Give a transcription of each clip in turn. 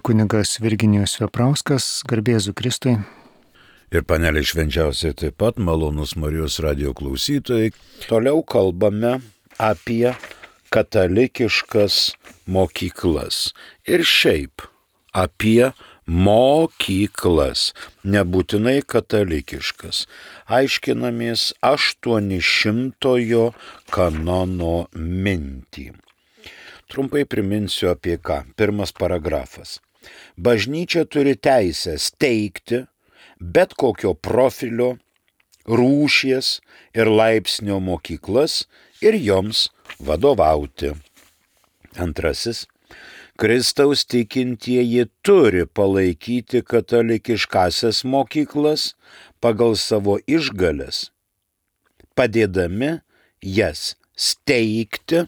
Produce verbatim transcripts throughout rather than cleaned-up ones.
Kunigas Virginijus Veprauskas, garbė Jėzui Kristui. Ir panelė švenčiausiai taip pat, malonus Marijos radijo klausytojai. Toliau kalbame apie katalikiškas mokyklas. Ir šiaip apie mokyklas, nebūtinai katalikiškas. Aiškinamės aštuonišimtojo kanono mintį. Trumpai priminsiu apie ką. Pirmas paragrafas. Bažnyčia turi teisę steigti bet kokio profilio, rūšies ir laipsnio mokyklas ir joms vadovauti. Antrasis. Kristaus tikintieji turi palaikyti katalikiškasias mokyklas pagal savo išgales, padėdami jas steigti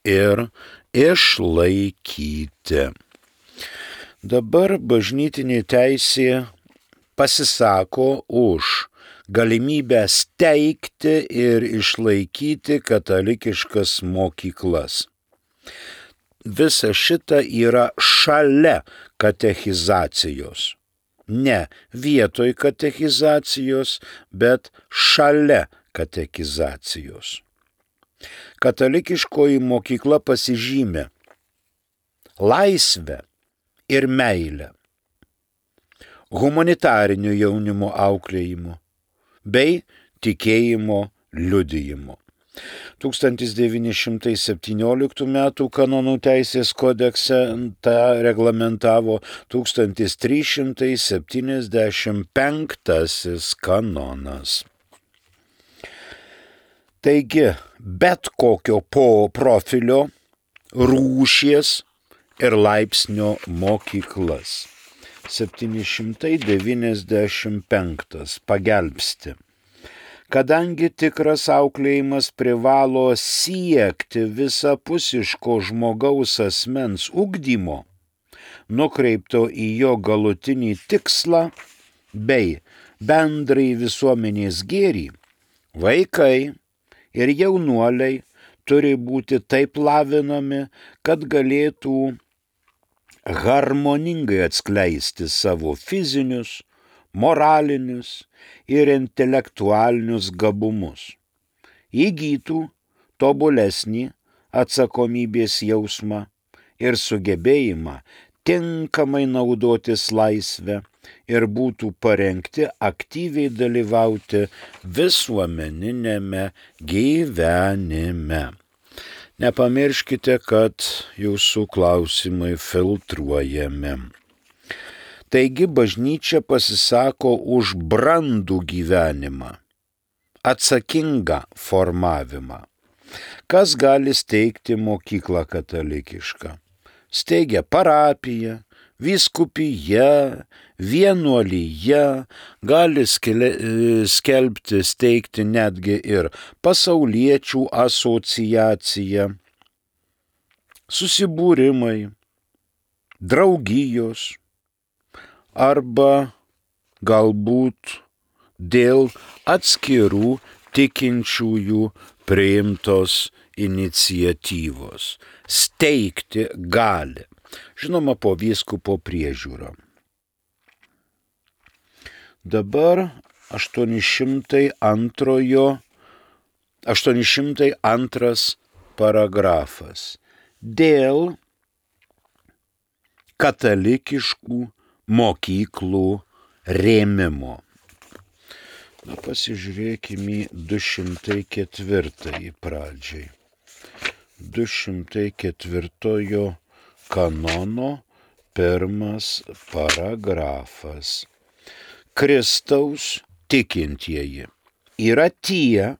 ir išlaikyti. Dabar bažnytinė teisė pasisako už galimybę steigti ir išlaikyti katalikiškas mokyklas. Visa šita yra šalia katechizacijos. Ne vietoj katechizacijos, bet šalia katechizacijos. Katalikiškoji mokykla pasižymė laisvę ir meilę, humanitariniu jaunimo auklėjimu bei tikėjimo liudijimu. tūkstantis devyni šimtai septynioliktų metų kanonų teisės kodekse tą reglamentavo tūkstantis trys šimtai septyniasdešimt penktasis kanonas. Taigi, bet kokio po profilio, rūšies ir laipsnio mokyklas. septyni šimtai devyniasdešimt penktas pagelbsti. Kadangi tikras auklėjimas privalo siekti visapusiško žmogaus asmens ugdymo, nukreipto į jo galutinį tikslą bei bendrai visuomenės gėrį, vaikai ir jaunuoliai turi būti taip lavinami, kad galėtų harmoningai atskleisti savo fizinius, moralinius ir intelektualinius gabumus, įgytų tobulesnį atsakomybės jausmą ir sugebėjimą tinkamai naudotis laisvę ir būtų parengti aktyviai dalyvauti visuomeninėme gyvenime. Nepamirškite, kad jūsų klausimai filtruojami. Taigi bažnyčia pasisako už brandų gyvenimą, atsakingą formavimą. Kas gali steigti mokyklą katalikišką? Steigia parapiją, vyskupija, vienuolija, gali skelbti, steigti netgi ir pasauliečių asociaciją, susibūrimai, draugijos arba galbūt dėl atskirų tikinčiųjų priimtos iniciatyvos. Steigti gali. Žinoma, po vyskupo priežiūrą. Dabar aštuoni šimtai antras paragrafas. Dėl katalikiškų mokyklų rėmimo. Na, pasižiūrėkime į du šimtai ketvirtąjį pradžiai. du šimtai ketvirtojo kanono pirmas paragrafas. Kristaus tikintieji yra tie,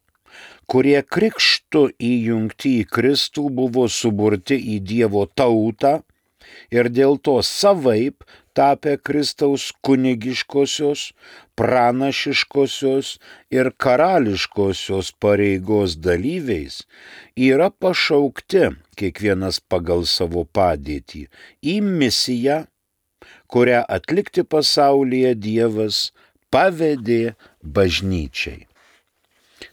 kurie krikštu įjungti į Kristų buvo suburti į Dievo tautą ir dėl to savaip tapę Kristaus kunigiškosios, pranašiškosios ir karališkosios pareigos dalyviais, yra pašaukti kiekvienas pagal savo padėtį į misiją, kurią atlikti pasaulyje Dievas pavedė bažnyčiai.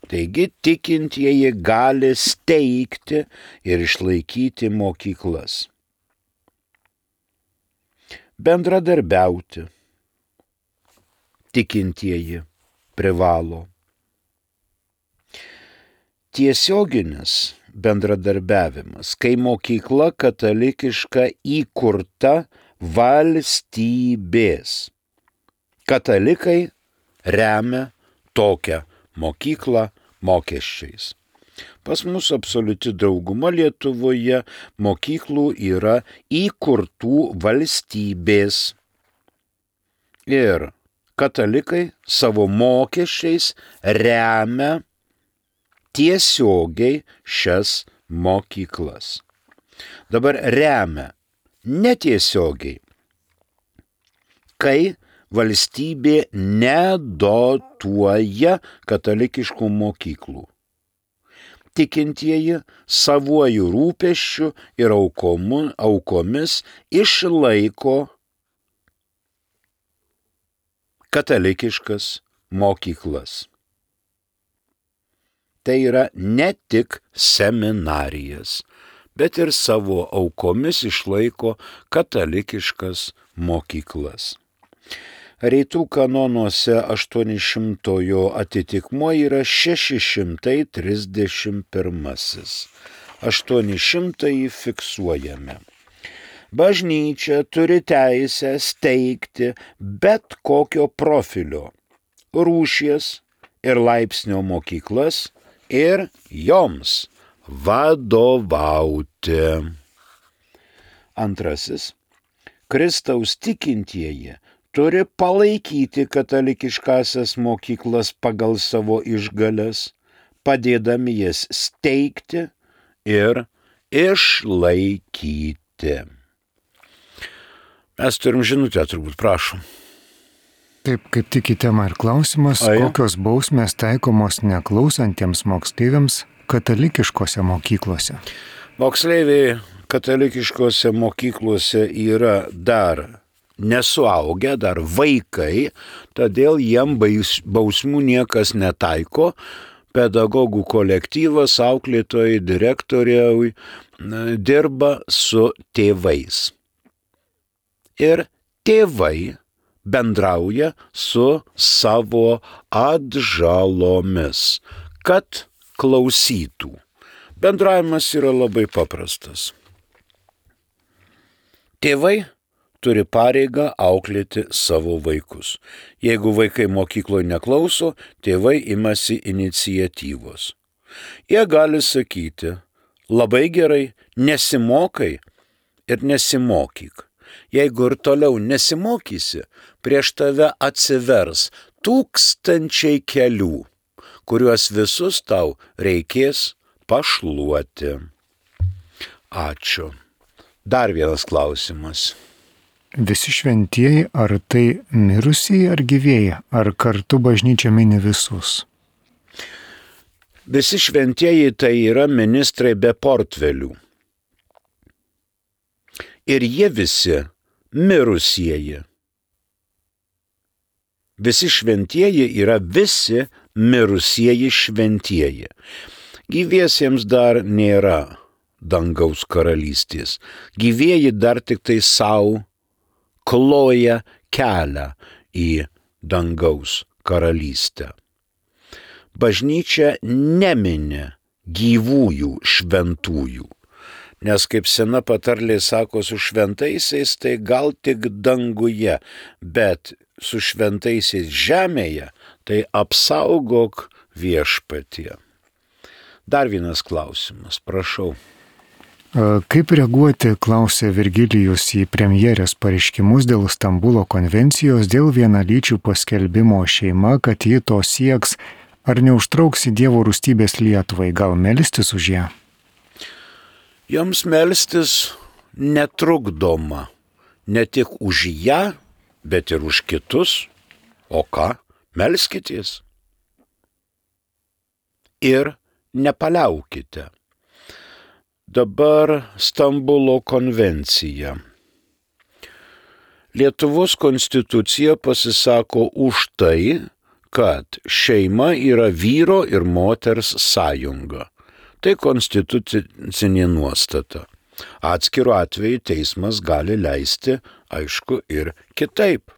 Taigi tikintieji gali steigti ir išlaikyti mokyklas. bendradarbiauti. Tikintieji privalo. Tiesioginis bendradarbiavimas, kai mokykla katalikiška įkurta valstybės. Katalikai remia tokią mokyklą mokesčiais. Pas mus absoliuti dauguma Lietuvoje mokyklų yra įkurtų valstybės. Ir katalikai savo mokesčiais remia tiesiogiai šias mokyklas. Dabar remia netiesiogiai, kai valstybė nedotuoja katalikiškų mokyklų. Tikintieji savuoju rūpesčiu ir aukomu, aukomis išlaiko katalikiškas mokyklas. Tai yra ne tik seminarijas, bet ir savo aukomis išlaiko katalikiškas mokyklas. Rytų kanonuose aštuonišimtojo atitikmuo yra šeši šimtai trisdešimt pirmasis. aštuoni šimtai fiksuojame. Bažnyčia turi teisę steigti bet kokio profilio, rūšies ir laipsnio mokyklas ir joms vadovauti. Antrasis. Kristaus tikintieji turi palaikyti katalikiškasias mokyklas pagal savo išgales, padėdami jas steigti ir išlaikyti. Mes turim žinutę, turbūt, prašom. Taip, kaip tik į temą ir klausimas, Aja. Kokios bausmės taikomos neklausantiems moksleiviams katalikiškose mokyklose? Moksleiviai katalikiškose mokyklose yra dar nesuaugę, dar vaikai, todėl jiem bausmų niekas netaiko. Pedagogų kolektyvas, auklėtojai, direktoriai dirba su tėvais. Ir tėvai bendrauja su savo atžalomis, kad klausytų. Bendravimas yra labai paprastas. Tėvai turi pareigą auklėti savo vaikus. Jeigu vaikai mokykloje neklauso, tėvai imasi iniciatyvos. Jie gali sakyti, labai gerai, nesimokai ir nesimokyk. Jeigu ir toliau nesimokysi, prieš tave atsivers tūkstančiai kelių, kuriuos visus tau reikės pašluoti. Ačiū. Dar vienas klausimas. Visi šventieji, ar tai mirusieji ar gyvieji, ar kartu bažnyčia mini visus? Visi šventieji tai yra ministrai be portfelių. Ir jie visi mirusieji. Visi šventieji yra visi mirusieji šventieji. Gyviesiems dar nėra dangaus karalystės. Gyvieji dar tik tai savo kloja kelią į dangaus karalystę. Bažnyčia nemini gyvųjų šventųjų, nes kaip sena patarlė sako, su šventaisiais tai gal tik danguje, bet su šventaisiais žemėje tai apsaugok viešpatie. Dar vienas klausimas, prašau. Kaip reaguoti, klausė Virgilijus, į premjerės pareiškimus dėl Stambulo konvencijos dėl vienalyčių paskelbimo šeima, kad ji to sieks, ar neužtrauks į Dievo rūstybės Lietuvai, gal melstis už ją? Joms melstis netrukdoma, ne tik už ją, bet ir už kitus. O ką? Melskitės. Ir nepaliaukite. Dabar Stambulo konvencija. Lietuvos konstitucija pasisako už tai, kad šeima yra vyro ir moters sąjunga. Tai konstitucinė nuostata. Atskiru atveju teismas gali leisti, aišku, ir kitaip.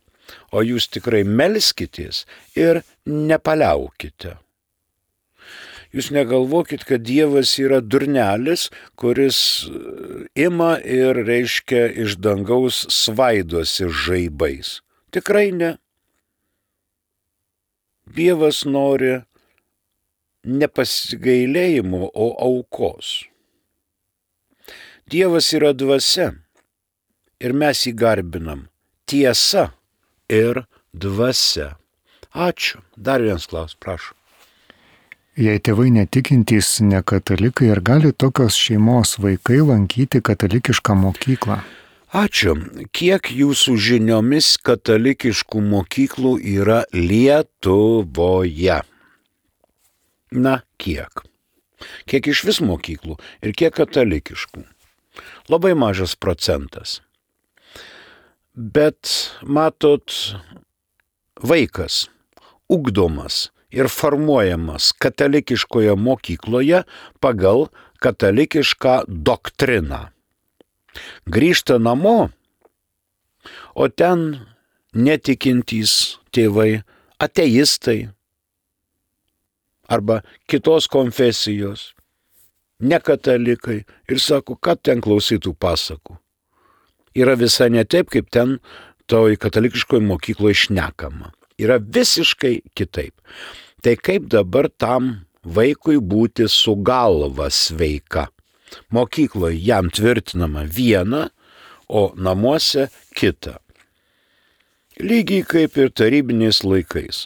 O jūs tikrai melskitės ir nepaliaukite. Jūs negalvokit, kad Dievas yra durnelis, kuris ima ir, reiškia, iš dangaus svaidosi žaibais. Tikrai ne. Dievas nori ne pasigailėjimo, o aukos. Dievas yra dvasia ir mes jį garbinam. Tiesa ir dvasia. Ačiū. Dar vienas klausimas, prašau. Jei tėvai netikintys, ne katalikai, ar gali tokios šeimos vaikai lankyti katalikišką mokyklą? Ačiū. Kiek jūsų žiniomis katalikiškų mokyklų yra Lietuvoje? Na, kiek? Kiek iš vis mokyklų ir kiek katalikiškų? Labai mažas procentas. Bet, matot, vaikas ugdomas ir formuojamas katalikiškoje mokykloje pagal katalikišką doktriną. Grįžta namo, o ten netikintys tėvai, ateistai arba kitos konfesijos, nekatalikai ir sako, kad ten klausytų pasakų. Yra visai ne taip, kaip ten toj katalikiškoje mokykloje šnekama. Yra visiškai kitaip. Tai kaip dabar tam vaikui būti su galva sveika? Mokykloje jam tvirtinama viena, o namuose kita. Lygiai kaip ir tarybiniais laikais.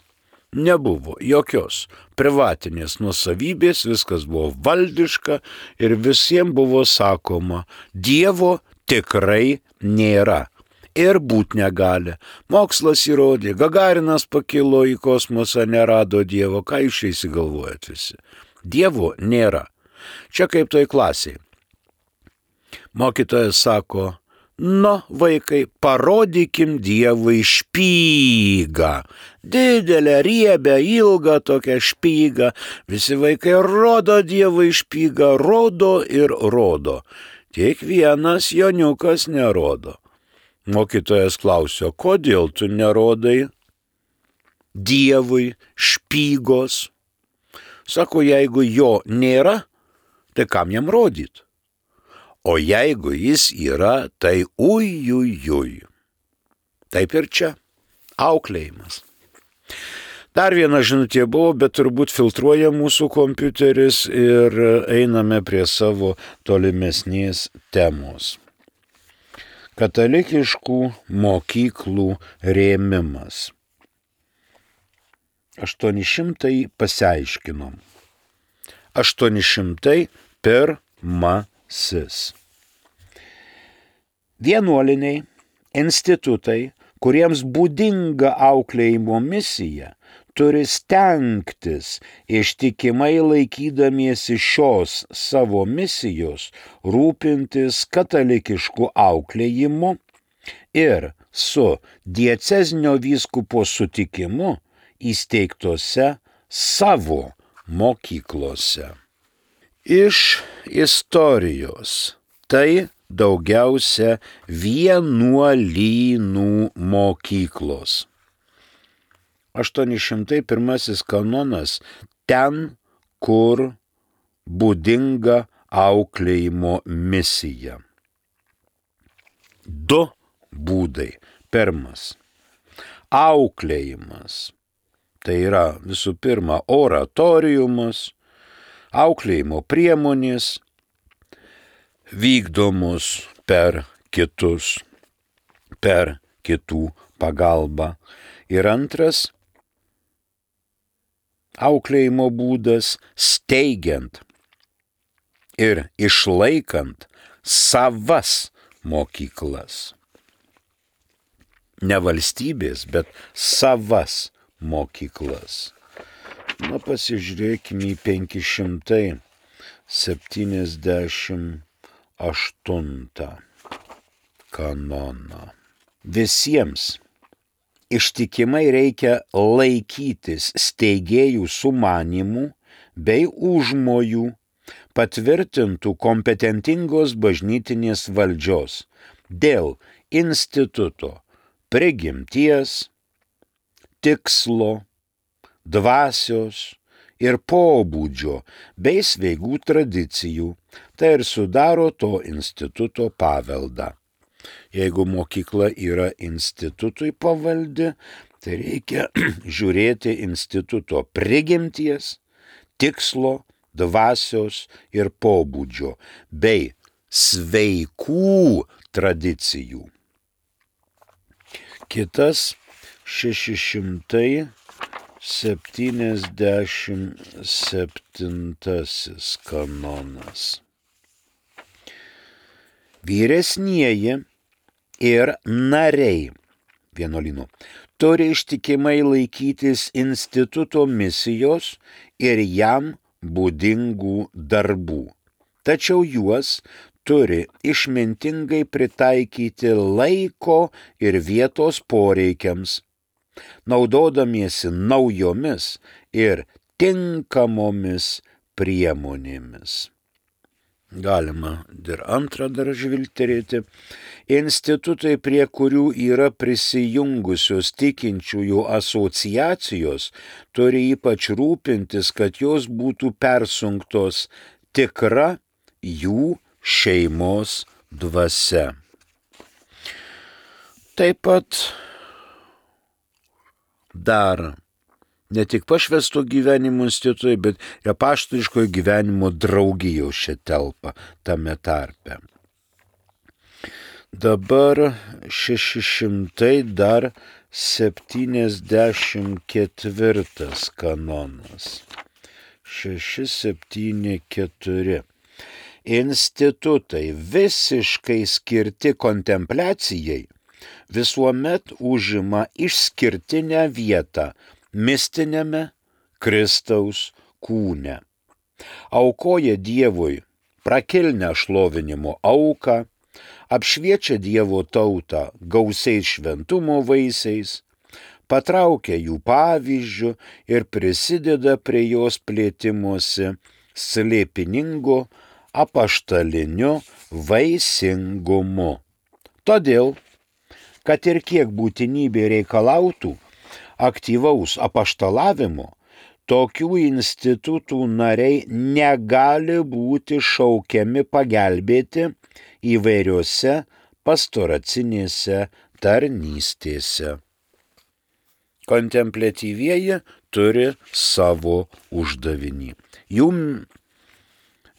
Nebuvo jokios privatinės nuosavybės, viskas buvo valdiška ir visiems buvo sakoma, Dievo tikrai nėra. Ir būt negali. Mokslas įrodė, Gagarinas pakilo į kosmosą, nerado Dievo. Ką jūs čia įsigalvojat visi? Dievo nėra. Čia kaip toj klasiai. Mokytojas sako, nu, vaikai, parodykim Dievui špygą. Didelę, riebę, ilgą tokią špygą. Visi vaikai rodo Dievui špygą, rodo ir rodo. Tik vienas joniukas nerodo. Mokytojas klausė, kodėl tu nerodai Dievui špygos? Sako, jeigu jo nėra, tai kam jam rodyt? O jeigu jis yra, tai ujujuj. Taip ir čia. Auklėjimas. Dar viena žinutė buvo, bet turbūt filtruoja mūsų kompiuteris ir einame prie savo tolimesnės temos. Katalikiškų mokyklų rėmimas. aštuoni šimtai pasiaiškinom. aštuoni šimtai pirmasis. Vienuoliniai institutai, kuriems būdinga auklėjimo misija, turi stengtis ištikimai laikydamiesi šios savo misijos rūpintis katalikišku auklėjimu ir su diecezinio vyskupo sutikimu įsteigtose savo mokyklose. Iš istorijos tai daugiausia vienuolynų mokyklos. aštuoni šimtai pirmasis kanonas ten, kur būdinga auklėjimo misija. Du būdai. Pirmas. Auklėjimas. Tai yra visų pirma oratoriumas, auklėjimo priemonės, vykdomos per kitus, per kitų pagalbą. Ir antras auklėjimo būdas steigiant ir išlaikant savas mokyklas. Ne valstybės, bet savas mokyklas. Na, pasižiūrėkime į penki šimtai septyniasdešimt aštuntą kanoną. Visiems ištikimai reikia laikytis steigėjų sumanimų bei užmojų, patvirtintų kompetentingos bažnytinės valdžios dėl instituto prigimties, tikslo, dvasios ir pobūdžio bei sveigų tradicijų, tai ir sudaro to instituto paveldą. Jeigu mokykla yra institutui pavaldi, tai reikia žiūrėti instituto prigimties, tikslo, dvasios ir pobūdžio bei sveikų tradicijų. Kitas šeši šimtai septyniasdešimt septintasis kanonas. Vyresnieji ir nariai vienuolynų turi ištikimai laikytis instituto misijos ir jam būdingų darbų, tačiau juos turi išmintingai pritaikyti laiko ir vietos poreikiams, naudodamiesi naujomis ir tinkamomis priemonėmis. Galima ir antrą dar žvilgterėti. Institutai, prie kurių yra prisijungusios tikinčiųjų asociacijos, turi ypač rūpintis, kad jos būtų persunktos tikra jų šeimos dvasia. Taip pat dar ne tik pašvęsto gyvenimo institutai, bet ir apaštališkojo gyvenimo draugijos čia telpa tame tarpe. Dabar šeši šimtai dar septyniasdešimt ketvirtas kanonas. šeši septyni keturi. Institutai visiškai skirti kontempliacijai visuomet užima išskirtinę vietą mistinėme Kristaus kūne. Aukoja Dievui prakilnę šlovinimo auką, apšviečia Dievo tautą gausiais šventumo vaisiais, patraukia jų pavyzdžių ir prisideda prie jos plėtimosi slėpiningu apaštaliniu vaisingumu. Todėl, kad ir kiek būtinybė reikalautų aktyvaus apaštalavimo, tokių institutų nariai negali būti šaukiami pagelbėti įvairiose pastoracinėse tarnystėse. Kontempliatyvieji turi savo uždavinį. Jų,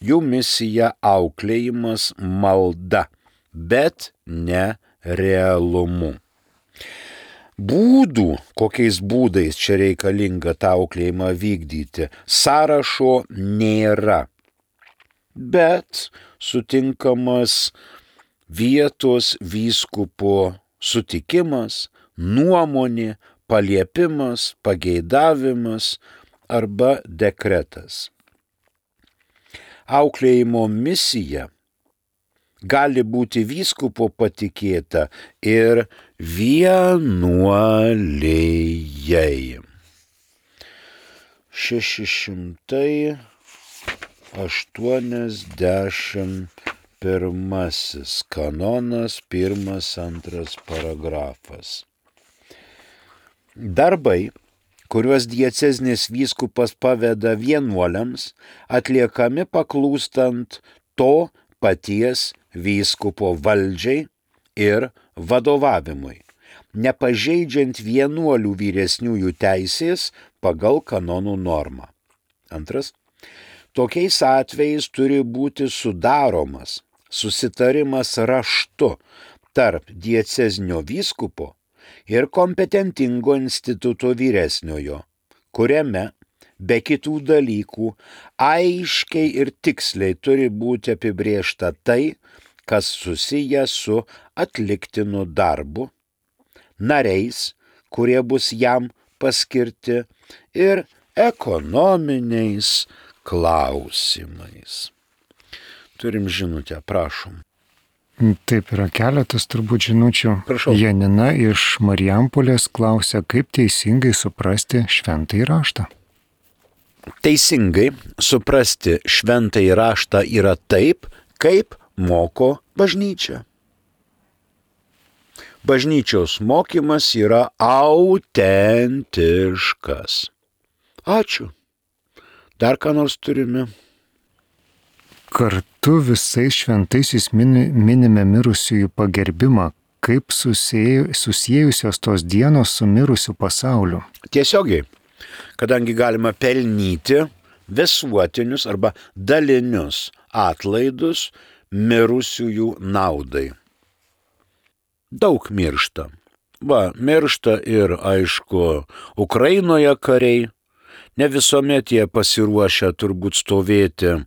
jų misija auklėjimas malda, bet ne realumu. Būdų, kokiais būdais čia reikalinga tą auklėjimą vykdyti, sąrašo nėra, bet sutinkamas vietos vyskupo sutikimas, nuomonė, paliepimas, pageidavimas arba dekretas. Auklėjimo misija gali būti vyskupo patikėta ir vienuolijai. šeši šimtai aštuoniasdešimt pirmasis kanonas, pirmas, antras paragrafas. Darbai, kuriuos diecezinis vyskupas paveda vienuoliams, atliekami paklūstant to paties vyskupo valdžiai ir vadovavimui, nepažeidžiant vienuolių vyresniųjų teisės pagal kanonų normą. Antras. Tokiais atvejais turi būti sudaromas susitarimas raštu tarp diecezinio vyskupo ir kompetentingo instituto vyresniojo, kuriame be kitų dalykų aiškiai ir tiksliai turi būti apibrėžta tai, kas susiję su atliktinu darbu, nariais, kurie bus jam paskirti, ir ekonominiais klausimais. Turim žinutę, prašom. Taip, yra keletas turbūt žinučių. Prašau. Janina iš Marijampolės klausia, kaip teisingai suprasti šventąjį raštą. teisingai suprasti šventąjį raštą yra taip, kaip moko bažnyčia. Bažnyčios mokymas yra autentiškas. Ačiū. Dar ką nors turime? Kartu visais šventaisiais mini, minime mirusiųjų pagerbimą, kaip susiejusios tos dienos su mirusiu pasauliu. Tiesiogiai, kadangi galima pelnyti visuotinius arba dalinius atlaidus mirusiųjų naudai. Daug miršta. Va, miršta ir, aišku, Ukrainoje kariai. Ne visuomet jie pasiruošę turbūt stovėti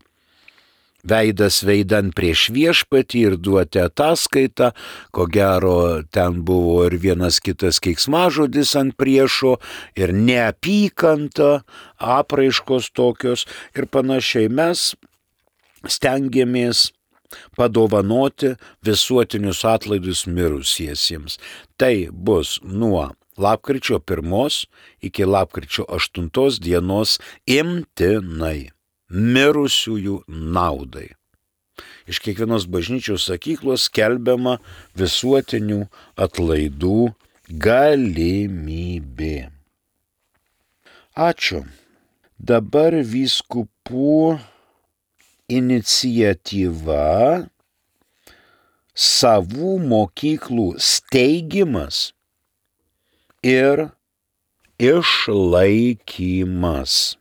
veidas veidan prieš viešpatį ir duoti ataskaitą. Ko gero, ten buvo ir vienas kitas keiksmažodis ant priešo, ir neapykanta, apraiškos tokios ir panašiai. Mes stengiamės padovanoti visuotinius atlaidus mirusiesiems. Tai bus nuo lapkričio pirmos iki lapkričio aštuntos dienos imtinai mirusiųjų naudai. Iš kiekvienos bažnyčios sakyklos skelbiama visuotinių atlaidų galimybė. Ačiū. Dabar vyskupų iniciatyva savų mokyklų steigimas ir išlaikymas.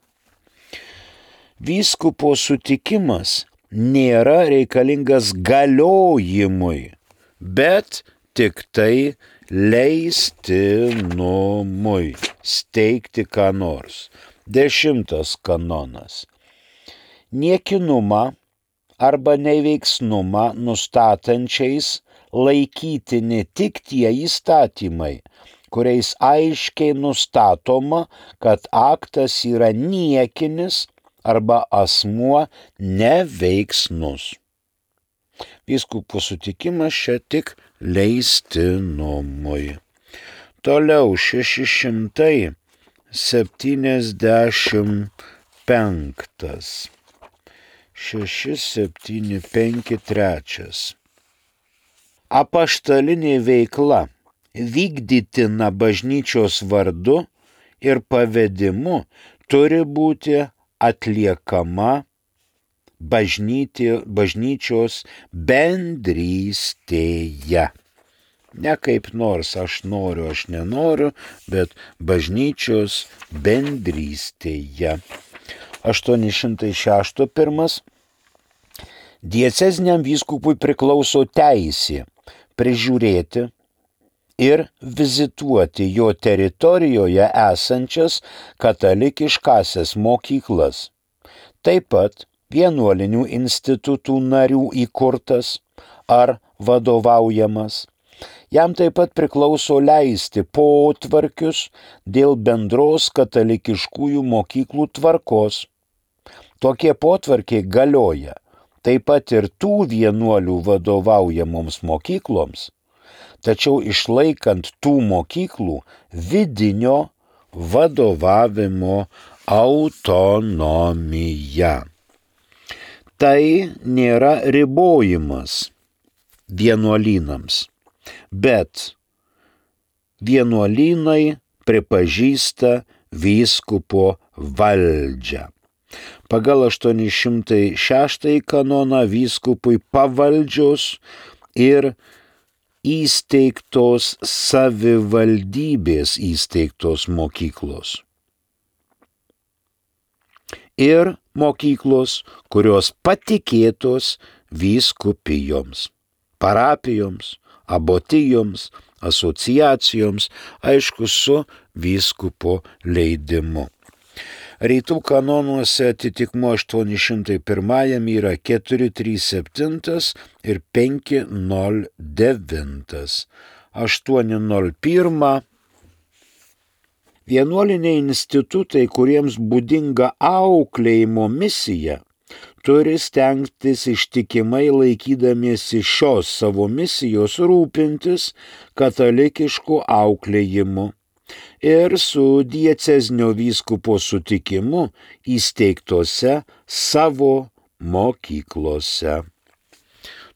Vyskupo sutikimas nėra reikalingas galiojimui, bet tik tai leistinumui steigti ką nors. Dešimtas kanonas. Niekinumą arba neveiksnumą nustatančiais laikyti ne tik tie įstatymai, kuriais aiškiai nustatoma, kad aktas yra niekinis arba asmuo neveiksnus. Vyskupų sutikimas čia tik leistinumui. Toliau šeši šimtai septyniasdešimt penktas. šeši septyni penki trečias. Apaštalinė veikla vykdytina bažnyčios vardu ir pavedimu turi būti atliekama bažnyti, bažnyčios bendrystėje. Ne kaip nors aš noriu, aš nenoriu, bet bažnyčios bendrystėje. aštuoni šimtai šeši pirmas. Dieceziniam vyskupui priklauso teisė prižiūrėti ir vizituoti jo teritorijoje esančias katalikiškasias mokyklas. Taip pat vienuolinių institutų narių įkurtas ar vadovaujamas. Jam taip pat priklauso leisti potvarkius dėl bendros katalikiškųjų mokyklų tvarkos. Tokie potvarkiai galioja taip pat ir tų vienuolių vadovaujamoms mokykloms, tačiau išlaikant tų mokyklų vidinio vadovavimo autonomiją. Tai nėra ribojimas vienuolynams, bet vienuolynai pripažįsta vyskupo valdžią. Pagal aštuoni šimtai šeštąjį kanoną vyskupui pavaldžios ir įsteigtos savivaldybės įsteigtos mokyklos. Ir mokyklos, kurios patikėtos vyskupijoms, parapijoms, abotijoms, asociacijoms, aišku, su vyskupo leidimu. Rytų kanonuose atitikmuo aštuoni šimtai pirmajam yra keturi trys septyni ir penki nol devyni. aštuoni nol vienas. Vienuoliniai institutai, kuriems būdinga auklėjimo misija, turi stengtis ištikimai laikydamiesi šios savo misijos rūpintis katalikišku auklėjimu, ir su diecezinio vyskupo sutikimu įsteigtose savo mokyklose.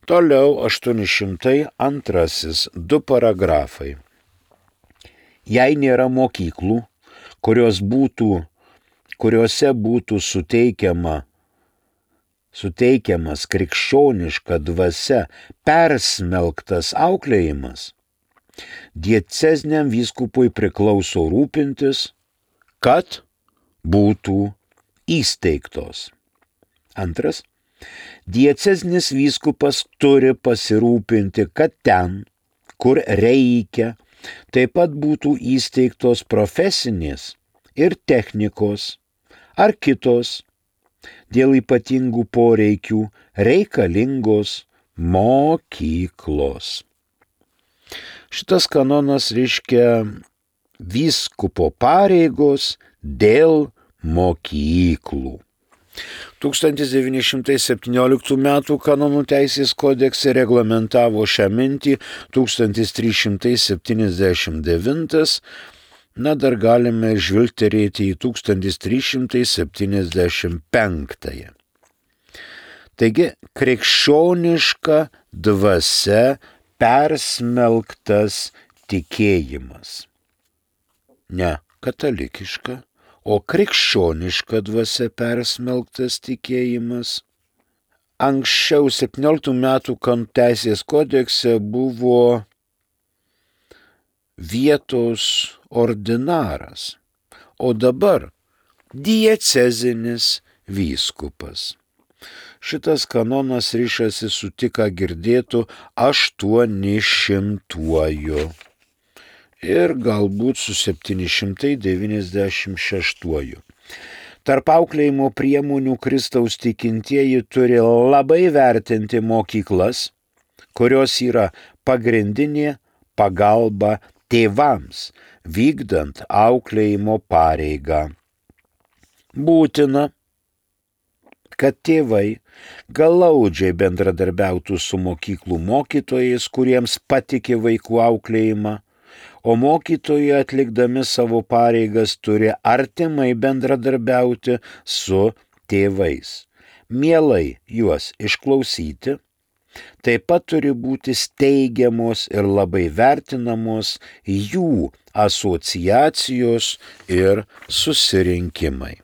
Toliau aštuoni šimtai antrasis, du paragrafai. Jei nėra mokyklų, kurios būtų, kuriuose būtų suteikiama, suteikiamas krikščioniška dvasia persmelktas auklėjimas, dieceziniam vyskupui priklauso rūpintis, kad būtų įsteigtos. Antras. Diecezinis vyskupas turi pasirūpinti, kad ten, kur reikia, taip pat būtų įsteigtos profesinės ir technikos ar kitos dėl ypatingų poreikių reikalingos mokyklos. Šitas kanonas reiškia vyskupo pareigos dėl mokyklų. tūkstantis devyni šimtai septynioliktų metų kanonų teisės kodekse reglamentavo šią mintį tūkstantis trys šimtai septyniasdešimt devintas, na dar galime žvilgterėti į tūkstantis trys šimtai septyniasdešimt penktąją. Taigi, krikščioniška dvasia persmelktas tikėjimas. Ne katalikiška, o krikščioniška dvasia persmelktas tikėjimas. Anksčiau septynioliktų metų kanonų teisės kodekse buvo vietos ordinaras, o dabar diecezinis vyskupas. Šitas kanonas ryšasi su tik ką girdėtų aštuoni šimtuoju. Ir galbūt su septyni šimtai devyniasdešimt šeštuoju. Tarp auklėjimo priemonių Kristaus tikintieji turi labai vertinti mokyklas, kurios yra pagrindinė pagalba tėvams, vykdant auklėjimo pareigą. Būtina, kad tėvai glaudžiai bendradarbiautų su mokyklų mokytojais, kuriems patikė vaikų auklėjimą, o mokytojai atlikdami savo pareigas turi artimai bendradarbiauti su tėvais, mielai juos išklausyti, taip pat turi būti steigiamos ir labai vertinamos jų asociacijos ir susirinkimai.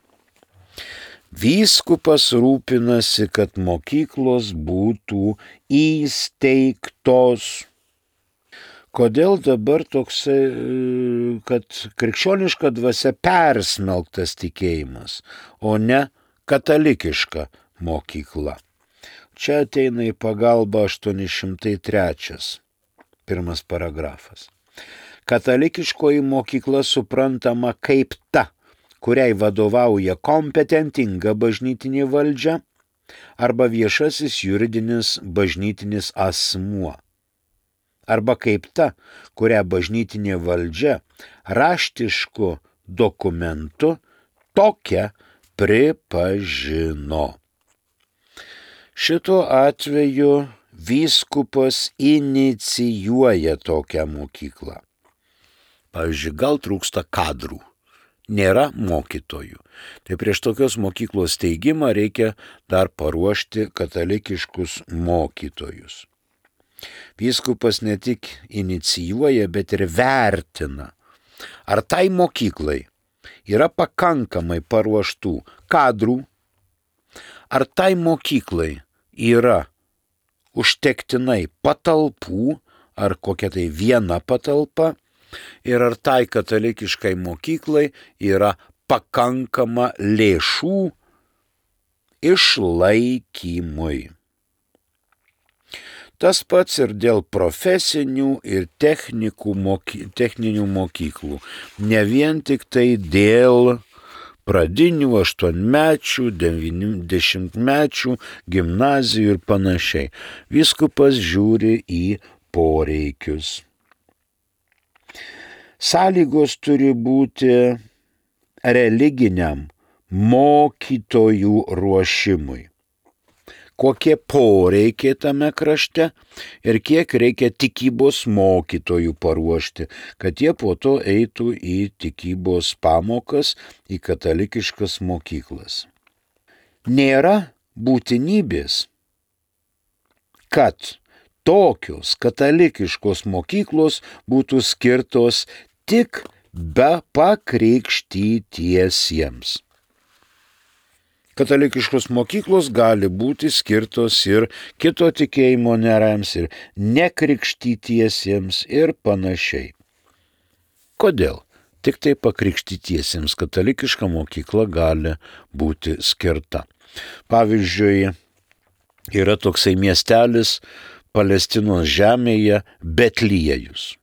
Vyskupas rūpinasi, kad mokyklos būtų įsteigtos. Kodėl dabar toksai, kad krikščioniška dvasia persmelktas tikėjimas, o ne katalikiška mokykla? Čia ateina į pagalbą aštuoni šimtai trečias, pirmas paragrafas. Katalikiškoji mokykla suprantama kaip ta, kuriai vadovauja kompetentinga bažnytinė valdžia arba viešasis juridinis bažnytinis asmuo. Arba kaip ta, kurią bažnytinė valdžia raštišku dokumentu tokia pripažino. Šituo atveju vyskupas inicijuoja tokią mokyklą. Pavyzdžiui, gal trūksta kadrų, nėra mokytojų. Tai prieš tokios mokyklos steigimą reikia dar paruošti katalikiškus mokytojus. Vyskupas ne tik inicijuoja, bet ir vertina, ar tai mokyklai yra pakankamai paruoštų kadrų, ar tai mokyklai yra užtektinai patalpų, ar kokia tai viena patalpa, ir ar tai katalikiškai mokyklai yra pakankama lėšų išlaikymui. Tas pats ir dėl profesinių ir moky, techninių mokyklų, ne vien tik tai dėl pradinių, aštuonmečių, dešimtmečių, gimnazijų ir panašiai. Vyskupas žiūri į poreikius. Sąlygos turi būti religiniam mokytojų ruošimui. kokie poreikiai tame krašte ir kiek reikia tikybos mokytojų paruošti, kad jie po to eitų į tikybos pamokas, į katalikiškas mokyklas. Nėra būtinybės, kad tokios katalikiškos mokyklos būtų skirtos tik be pakrikštytiesiems. Katalikiškos mokyklos gali būti skirtos ir kito tikėjimo nariams, ir nekrikštytiesiems ir panašiai. Kodėl? Tik tai pakrikštytiesiems katalikiška mokykla gali būti skirta. Pavyzdžiui, yra toksai miestelis Palestinos žemėje Betliejus.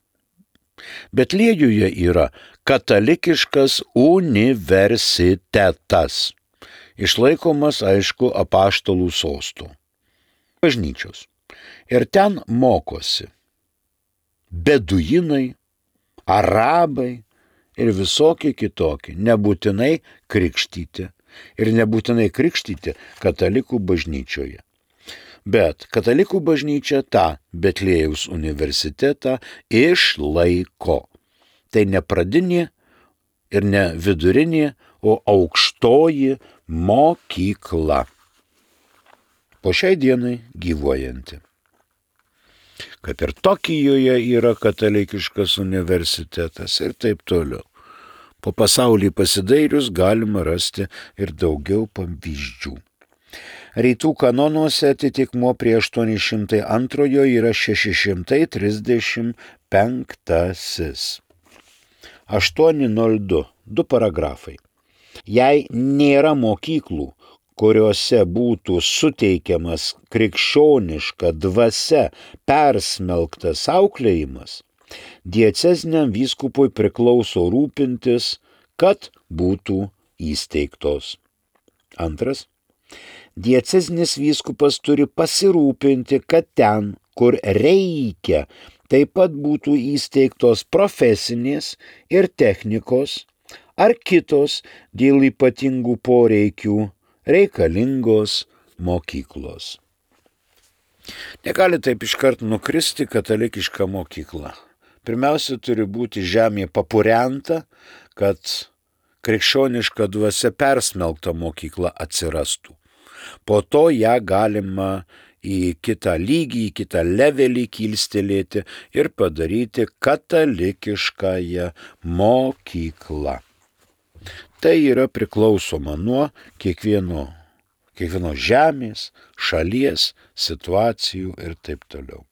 Betliejuje yra katalikiškas universitetas. Išlaikomas, aišku, apaštalų sostų, bažnyčios. Ir ten mokosi beduinai, arabai ir visokie kitokie, nebūtinai krikštyti. Ir nebūtinai krikštyti katalikų bažnyčioje. Bet katalikų bažnyčia tą Betliejaus universitetą išlaiko. Tai ne pradinė ir ne vidurinė, o aukštoji mokykla. Po šiai dienai gyvuojanti. Kaip ir Tokijoje yra katalikiškas universitetas ir taip toliau. Po pasaulį pasidairius galima rasti ir daugiau pavyzdžių. Rytų kanonuose atitikmuo prie aštuoni šimtai antrojo yra šeši šimtai trisdešimt penktasis. aštuoni nulis du, du paragrafai. Jei nėra mokyklų, kuriuose būtų suteikiamas krikščioniška dvasia persmelktas auklėjimas, dieceziniam vyskupui priklauso rūpintis, kad būtų įsteigtos. Antras. Diecezinis vyskupas turi pasirūpinti, kad ten, kur reikia, taip pat būtų įsteigtos profesinės ir technikos ar kitos dėl ypatingų poreikių reikalingos mokyklos. Negali taip iškart nukristi katalikiška mokykla. Pirmiausia, turi būti žemė papurenta, kad krikščioniška dvasia persmelkta mokykla atsirastų. Po to ją galima į kitą lygį, į kitą levelį kilstelėti ir padaryti katalikiškąją mokyklą. Tai yra priklausoma nuo kiekvieno, kiekvieno žemės, šalies, situacijų ir taip toliau.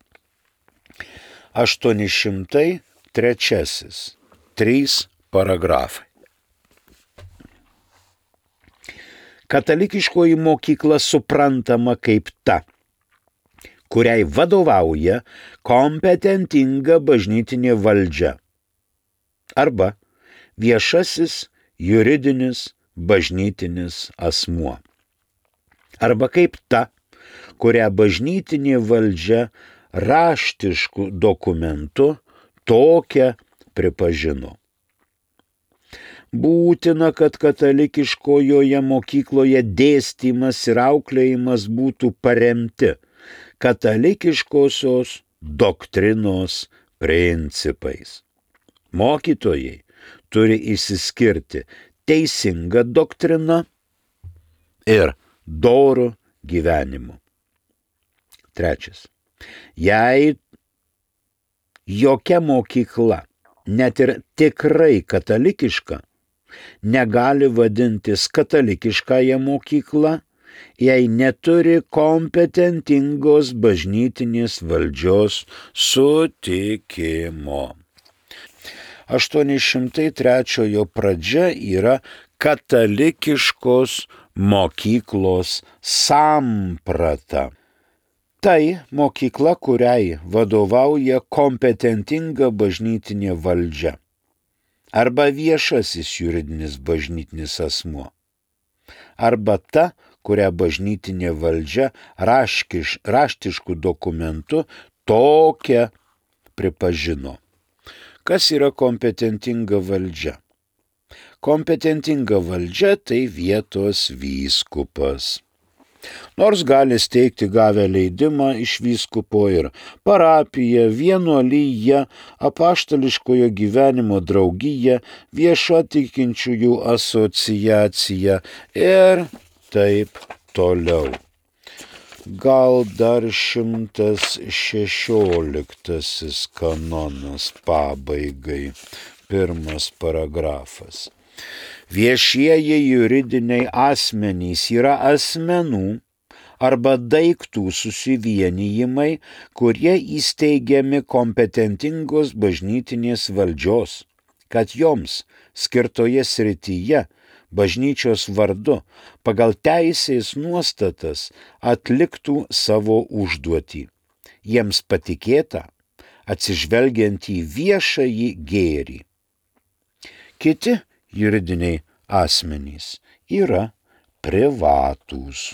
aštuoni šimtai trečiasis. Trys paragrafai. Katalikiškoji mokykla suprantama kaip ta, kuriai vadovauja kompetentinga bažnytinė valdžia arba viešasis juridinis bažnytinis asmuo. Arba kaip ta, kurią bažnytinė valdžia raštišku dokumentu tokią pripažino. Būtina, kad katalikiškojoje mokykloje dėstymas ir auklėjimas būtų paremti katalikiškosios doktrinos principais. Mokytojai turi išsiskirti teisinga doktrina ir doru gyvenimu. Trečias. Jei jokia mokykla, net ir tikrai katalikiška, negali vadintis katalikiškąją mokyklą, jei neturi kompetentingos bažnytinės valdžios sutikimo. aštuoni šimtai trečiojo pradžia yra katalikiškos mokyklos samprata. Tai mokykla, kuriai vadovauja kompetentinga bažnytinė valdžia arba viešasis juridinis bažnytinis asmuo, arba ta, kurią bažnytinė valdžia raškiš, raštišku dokumentu tokią pripažino. Kas yra kompetentinga valdžia? Kompetentinga valdžia tai vietos vyskupas. Nors gali steigti gavę leidimą iš vyskupo ir parapiją, vienuolyją, apaštališkojo gyvenimo draugiją, viešą tikinčiųjų asociaciją ir taip toliau. Gal dar šimtas šešioliktasis kanonas pabaigai, pirmas paragrafas. Viešieji juridiniai asmenys yra asmenų arba daiktų susivienijimai, kurie įsteigiami kompetentingos bažnytinės valdžios, kad joms skirtoje srityje bažnyčios vardu pagal teisės nuostatas atliktų savo užduotį. Jiems patikėta atsižvelgiant į viešąjį gėrį. Kiti juridiniai asmenys yra privatūs.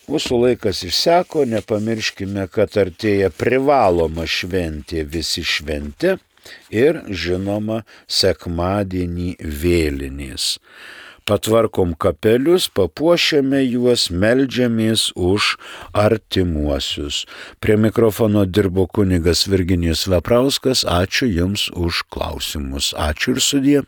Mūsų laikas išseko, nepamirškime, kad artėja privaloma šventė visi šventė ir, žinoma, sekmadienį vėlinės. Patvarkom kapelius, papuošiame juos, meldžiamės už artimuosius. Prie mikrofono dirbo kunigas Virginijus Veprauskas. Ačiū Jums už klausimus. Ačiū ir sudie.